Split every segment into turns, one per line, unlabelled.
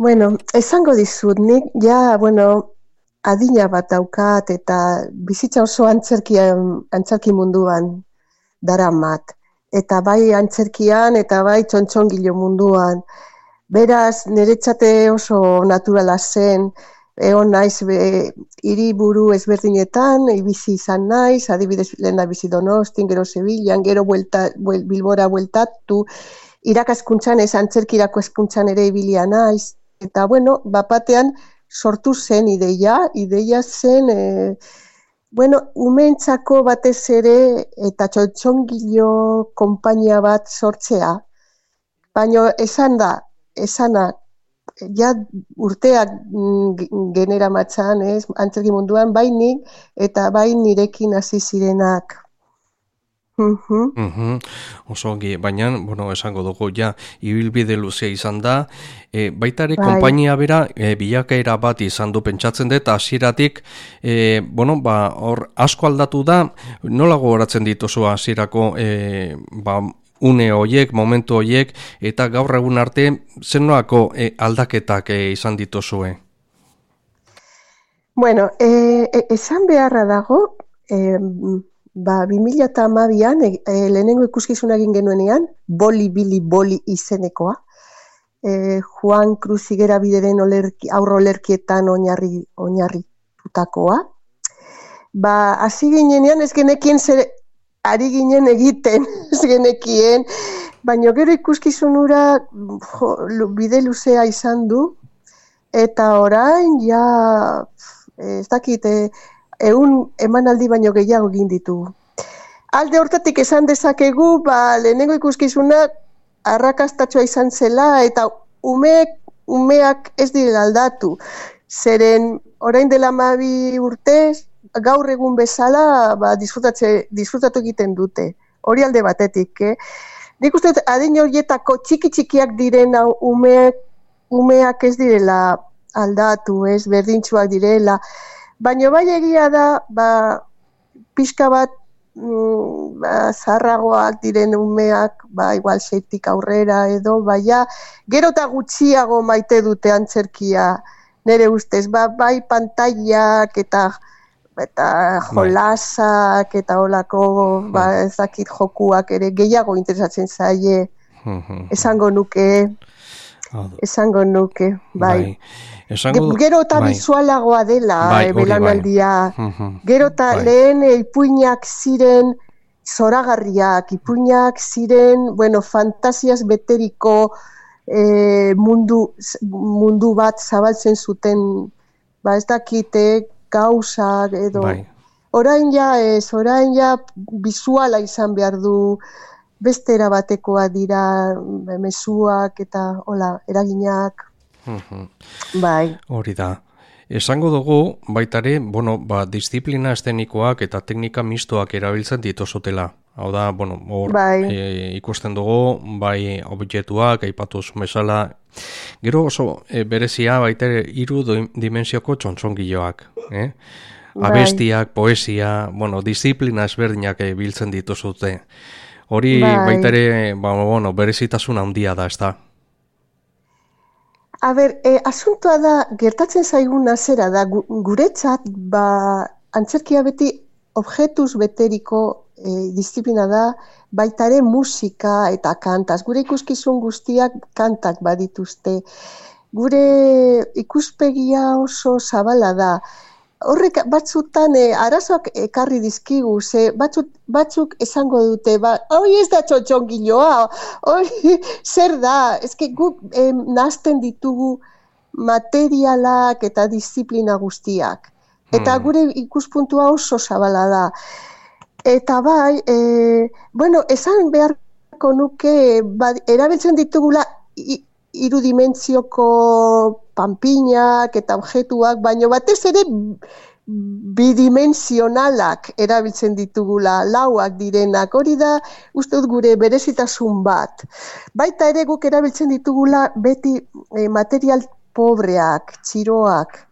Bueno, esango dizut, nik adina bat daukat eta bizitza oso antzerki munduan daramat. Eta bai antzerkian eta bai txontxongilo munduan. Beraz, niretzate oso naturala zen, egon naiz hiriburu ezberdinetan, bizi izan naiz, adibidez lehena bizi Donostin, gero Sevillan, gero Bilbora bueltatu, irakaskuntzan antzerkirako hezkuntzan ere ibilia naiz. Eta bapatean sortu zen ideia zen, umeentzako batez ere eta txotxongilo konpainia bat sortzea. Baina esana, ja urteak genera matzan, antzerki munduan, bai nik eta bai nirekin hasi zirenak.
Oso ongi, baina, esango dugu, ja, ibilbide luzea izan da, baita ere, konpainia bera, bilakaera bat izan du pentsatzen dut, hasieratik, hor asko aldatu da, nola gogoratzen dituzu hasierako, une horiek, momentu horiek, eta gaur egun arte, zer nolako aldaketak izan dituzue?
Bueno, esan beharra dago, 2012an lehenengo ikuskizuna egin genuenean, Boli izenekoa, Juan Cruz Higuera Bideren aurrolerkietan oinarritutakoa. Hasi ginenean ez genekien zer ari ginen egiten, ez genekien, baina gero ikuskizunura bide luzea izan du, eta orain, ez dakit, 100 emanaldi baino gehiago egin ditugu. Alde hortatik esan dezakegu, lehenengo ikuskizuna arrakastatsua izan zela, eta umeak ez direla aldatu. Zeren, orain dela 12 urtez, gaur egun bezala disfrutatu egiten dute. Hori alde batetik, Nik uste adin horietako txikiak diren umeak ez direla aldatu, berdintsuak direla. Baina bai egia da, pixka bat zaharragoak diren umeak, igual 6tik aurrera edo, gero eta gutxiago maite dute antzerkia, nire ustez, bai pantailak eta jolasak eta holako ezakit jokuak ere gehiago interesatzen zaie, esango nuke, bai. Gero eta bizualagoa dela belanaldia, gero eta lehen ipuinak ziren zoragarriak, ipuinak ziren, fantasiaz beteriko mundu bat zabaltzen zuten, ez dakite, gauzak edo. Orain ja bizuala izan behar du, beste erabatekoa dira mezuak eta eraginak. Bai.
Hori da. Esango dugu, baitare, disiplina eszenikoak eta teknika mistoak erabiltzen dituzutela. Hau da, ikusten dugu, objektuak, aipatu bezala. Gero oso berezia baitare 3 dimensioko txontxongiloak. Abestiak, poesia, disiplina ezberdinak biltzen dituzute. Hori baitare, berezitasun handia da, ez da?
Asuntoa da, gertatzen zaiguna zera da, guretzat, antzerkia beti objetuz beteriko disiplina da, baitare musika eta kantaz. Gure ikuskizun guztiak kantak badituzte. Gure ikuspegia oso zabala da. Horrek batzutan arazoak ekarri dizkigu, batzuk esango dute, hori ez da txotxongiloa, hori zer da, guk nahazten ditugu materialak eta disiplina guztiak. Eta gure ikuspuntua oso zabala da. Eta esan beharko nuke, erabiltzen ditugula 3 dimentsioko panpinak eta objektuak, baina batez ere bidimensionalak erabiltzen ditugula, lauak direnak, hori da uste dut gure berezitasun bat. Baita ere guk erabiltzen ditugula beti material pobreak, txiroak,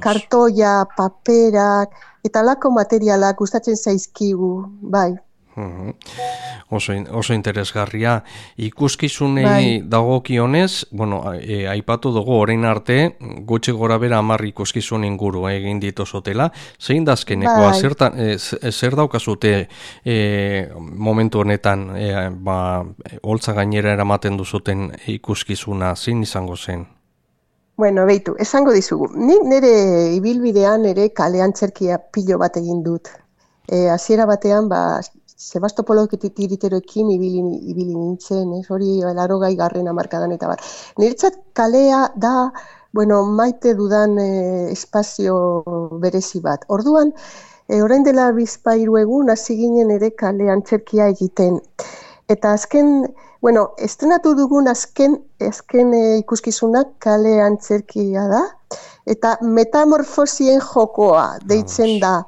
kartoia, paperak, eta lako materialak gustatzen zaizkigu, bai.
Oso interesgarria. Ikuskizunei dagokionez, aipatu dugu orain arte, gutxi gora bera 10 ikuskizun inguru egin dituzotela. Zein da azkenekoa? Zer daukazute momentu honetan, holtza gainera eramaten duzuten ikuskizuna, zein izango zen?
Bueno, beitu, esango dizugu. Nik nire ibilbidean ere kale antzerkia pilo bat egin dut. Hasiera batean, Sebastopolo tiriteroekin ibili nintzen, hori 80 hamarkadan eta bar. Niretzat kalea da, maite dudan espazio berezi bat. Orduan, orain dela 2-3 egun hasi ginen ere kale antzerkia egiten. Eta estrenatu dugun azken ikuskizunak kale antzerkia da, eta metamorfosien jokoa deitzen da.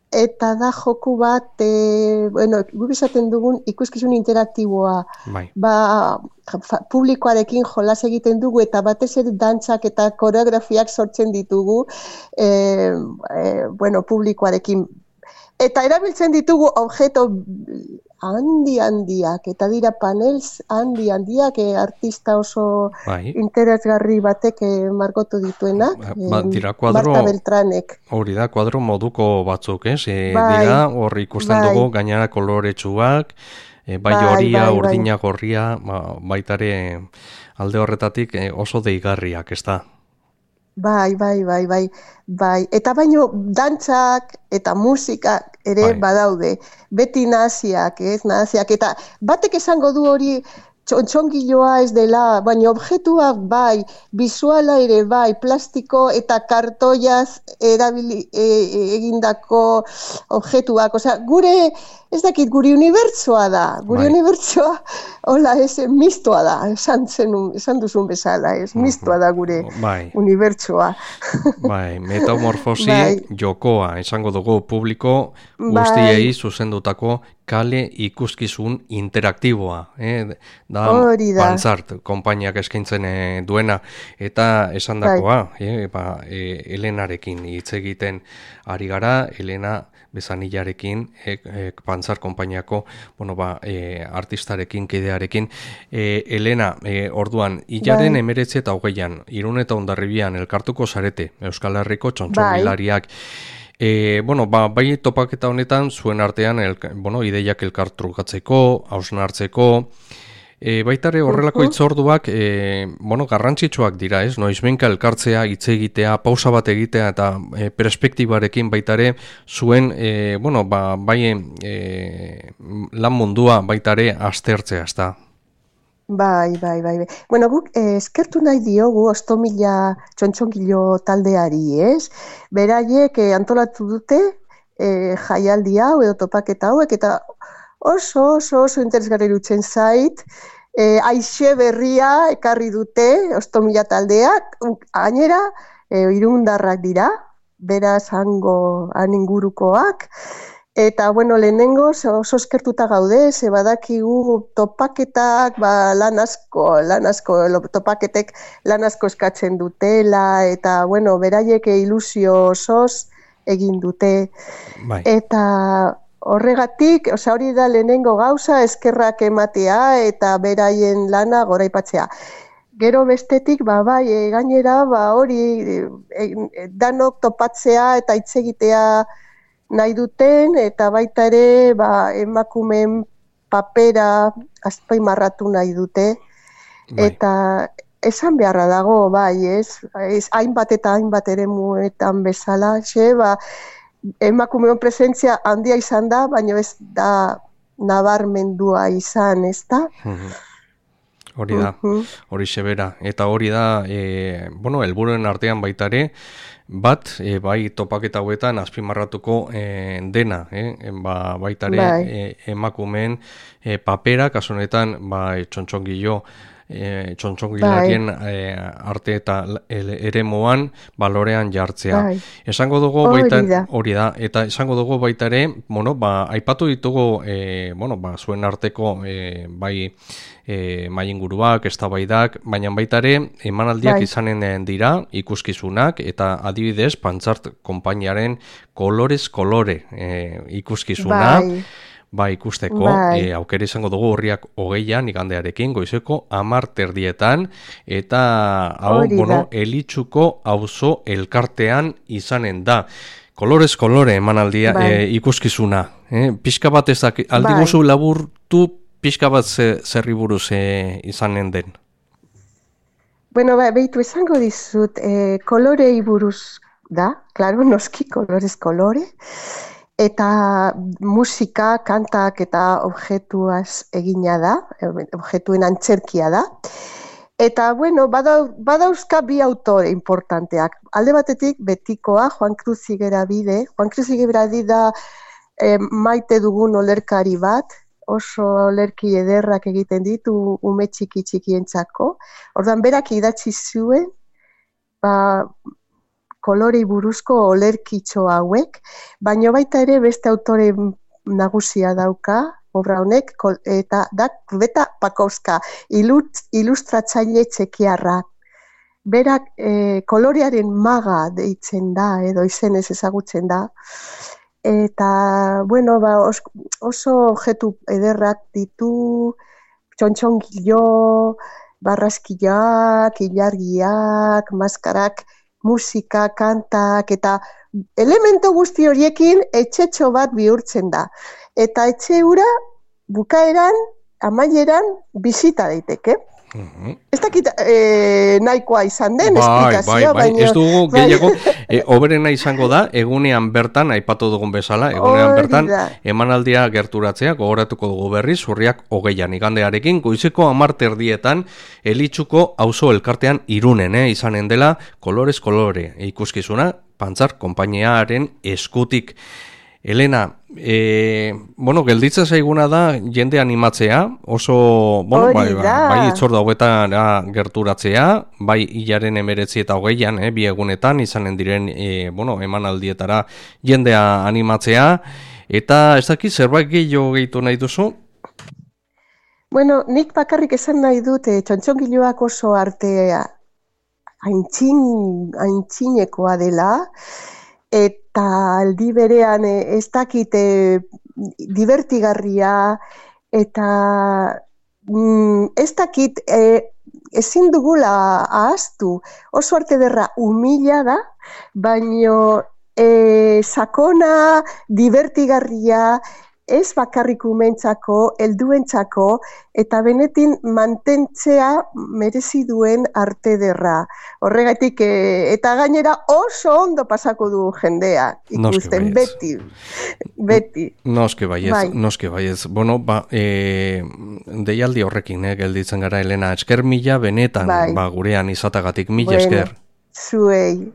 Eta da joku bat, guk esaten dugun ikuskizun interaktiboa. Publikoarekin jolas egiten dugu eta batez ere dantzak eta koreografiak sortzen ditugu publikoarekin. Eta erabiltzen ditugu objeto handiak, eta dira panels handiak, artista oso interesgarri batek margotu dituenak, Marta Beltranek.
Hori da, kuadro moduko batzuk, dira, hor ikusten dugu gainera koloretsuak, horia, urdina gorria, baitare alde horretatik oso deigarriak, ez da?
Bai. Eta baino dantzak eta musikak ere badaude. Beti naziak, eta batek esango du hori txontxongiloa ez dela, baina objektuak bisuala ere plastiko eta kartoiaz egindako objektuak. Gure, ez dakit, gure unibertsoa da. Gure unibertsoa, mistoa da, esan duzun bezala, mistoa da gure unibertsoa.
Metamorfosi jokoa, esango dugu publiko guztiei zuzendutako kale ikuskizun interaktiboa. Da Pantzart konpainiak eskaintzen duena, eta esandakoa, Elenarekin hitz egiten ari gara, Elena Bezanillarekin, Pantzart konpainiako artistarekin, kidearekin. Elena, orduan, hilaren 19 eta 20, Irun eta Hondarribian elkartuko zarete, Euskal Herriko txontxongilariak. Bai topaketa honetan, zuen artean, ideiak elkartrukatzeko, hausnartzeko, baitare horrelako hitzorduak garrantzitsuak dira, ez? Noizbenka elkartzea, hitz egitea, pausa bat egitea eta perspektibarekin baitare zuen lan mundua baitare aztertzea, ez da?
Bai. Guk eskertu nahi diogu Ostomila txontxongilo taldeari, ez? Beraiek antolatu dute jaialdi hau edo topaketa hauek, eta oso interesgarri dutzen zait, aixe berria ekarri dute Ostomila taldeak, gainera irundarrak dira, beraz han ingurukoak, eta lehenengo oso eskertuta gaude, ze badakigu topaketak, lan asko, topaketek lan asko eskatzen dutela, eta beraiek ilusio osoz egin dute. Eta horregatik, hori da lehenengo gauza, eskerrak ematea eta beraien lana goraipatzea. Gero bestetik, gainera, hori danok topatzea eta hitz egitea nahi duten, eta baita ere emakumeen papera azpimarratu nahi dute. Eta esan beharra dago, hainbat eta hainbat eremuetan bezala, emakumeon presentzia handia izan da, baina ez da nabarmendua izan, ez da?
Hori da, hori sebera. Eta hori da, helburuen artean baitare, bai topaketa hauetan azpimarratuko dena, baitare emakumeen papera, kasu honetan, txontxongilarien arte eta eremuan balorean jartzea. Esango dugu hori da, eta esango dugu baita ere, aipatu ditugu zuen arteko mailinguruak, eztabaidak, baina baita ere emanaldiak izanen dira, ikuskizunak, eta adibidez Pantzart konpainiaren kolorez kolore ikuskizuna. ba ikusteko, aukera izango dugu Urriak 20an igandearekin goizeko 10:00 eta hau, Elitxuko auzo elkartean izanen da. Kolorez kolore emanaldia ikuskizuna. Pixka bat ezak, aldiguzu laburtu pixka bat zerri buruz izanen den.
Bueno, behitu esango dizut, kolorei buruz da, klaro, noski, kolorez kolore, eta musika, kantak eta objetuaz egina da, objetuen antzerkia da. Eta, bueno, badauzka bi autore importanteak. Alde batetik, betikoa, Juan Cruz Zigerabide. Juan Cruz Zigerabide da maite dugun olerkari bat, oso olerki ederrak egiten ditu ume txikientzako. Ordan berak idatzi zuen, kolorei buruzko olerkitxo hauek, baina baita ere beste autore nagusia dauka, obra honek, eta da Beta Pakowska, ilustratzaile txekiarra. Berak kolorearen maga deitzen da, edo izenez ezagutzen da. Eta, bueno, oso objetu ederrak ditu, txontxongilo, barraskiak, ilargiak, maskarak, musika, kantak, eta elemento guzti horiekin etxetxo bat bihurtzen da. Eta etxe hura bukaeran, amaieran, bizita daiteke. Ez dakit nahikoa izan den esplikazioa, baina...
Ez dugu gehiago, oberena izango da, egunean bertan, aipatu dugun bezala, egunean bertan, emanaldia gerturatzea, gogoratuko dugu berriz, Urriak 20an igandearekin, goizeko 10:00 Elitxuko auzo elkartean Irunen, izanen dela, kolorez kolore, ikuskizuna, Pantzar konpainiaren eskutik. Elena, gelditzen zaiguna da jende animatzea, oso, bai itzorda hauetan gerturatzea, bai hilaren 19 eta 20an, bi egunetan, izanen diren, emanaldietara jendea animatzea, eta ez dakit zerbait gehiago nahi duzu?
Bueno, nik bakarrik esan nahi dut, txontxongiloak oso artea aintzinekoa dela, eta aldi berean ez dakit divertigarria, eta ez dakit ezin dugula ahaztu. Oso arte derra humila da, baino sakona, divertigarria, ez bakarrik umentzako, helduentzako, eta benetin mantentzea merezi duen arte derra. Horregatik, eta gainera oso ondo pasako du jendea, ikusten, beti.
Noske baiez. Bueno, deialdi horrekin, gelditzen gara, Elena, esker mila benetan, gurean izatagatik, mila esker.
Zuei.